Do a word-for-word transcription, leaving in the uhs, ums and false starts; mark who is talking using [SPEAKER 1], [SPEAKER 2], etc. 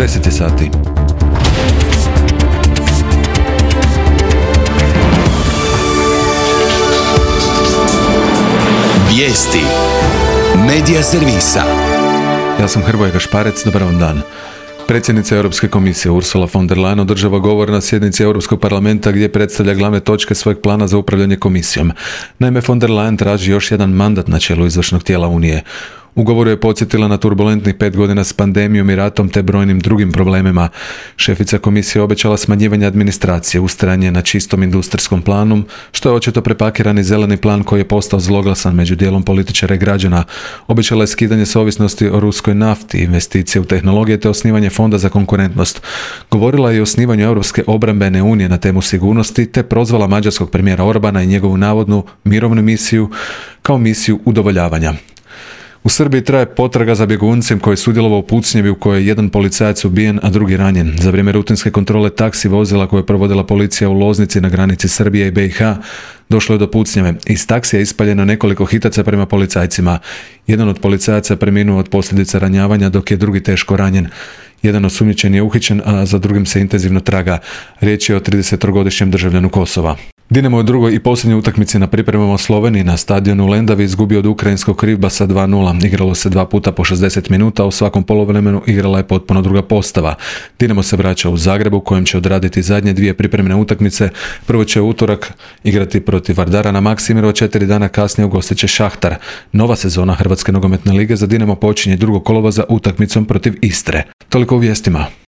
[SPEAKER 1] deset je sati.
[SPEAKER 2] Vijesti Medija servisa.
[SPEAKER 1] Ja sam Hrvoje Gašparec, dobar vam dan. Predsjednica Europske komisije Ursula von der Leyen održava govor na sjednici Europskog parlamenta gdje predstavlja glavne točke svojeg plana za upravljanje komisijom. Naime, von der Leyen traži još jedan mandat na čelu izvršnog tijela Unije. U govoru je podsjetila na turbulentnih pet godina s pandemijom i ratom te brojnim drugim problemima. Šefica komisije obećala smanjivanje administracije, ustrajanje na čistom industrijskom planu, što je očito prepakirani zeleni plan koji je postao zloglasan među dijelom političara i građana. Obećala je skidanje s ovisnosti o ruskoj nafti, investicije u tehnologije te osnivanje fonda za konkurentnost. Govorila je i o osnivanju Europske obrambene unije na temu sigurnosti te prozvala mađarskog premijera Orbana i njegovu navodnu mirovnu misiju kao misiju udovoljavanja. U Srbiji traje potraga za bjeguncem koji je sudjelovao u pucnjevi u kojoj je jedan policajac ubijen, a drugi ranjen. Za vrijeme rutinske kontrole taksi vozila koje je provodila policija u Loznici na granici Srbije i B i H došlo je do pucnjave. Iz taksija je ispaljeno nekoliko hitaca prema policajcima. Jedan od policajaca preminuo od posljedica ranjavanja dok je drugi teško ranjen. Jedan osumnjičen je uhićen, a za drugim se intenzivno traga. Riječ je o tridesettrogodišnjem državljanu Kosova. Dinamo je u drugoj i posljednjoj utakmici na pripremama u Sloveniji na stadionu u Lendavi izgubio od ukrajinskog Krivbasa dva nula. Igralo se dva puta po šezdeset minuta, a u svakom poluvremenu igrala je potpuno druga postava. Dinamo se vraća u Zagrebu u kojem će odraditi zadnje dvije pripremne utakmice. Prvo će u utorak igrati protiv Vardara na Maksimiru, a četiri dana kasnije ugostit će Šahtar. Nova sezona Hrvatske nogometne lige za Dinamo počinje drugog kolovoza utakmicom protiv Istre. Toliko u vijestima.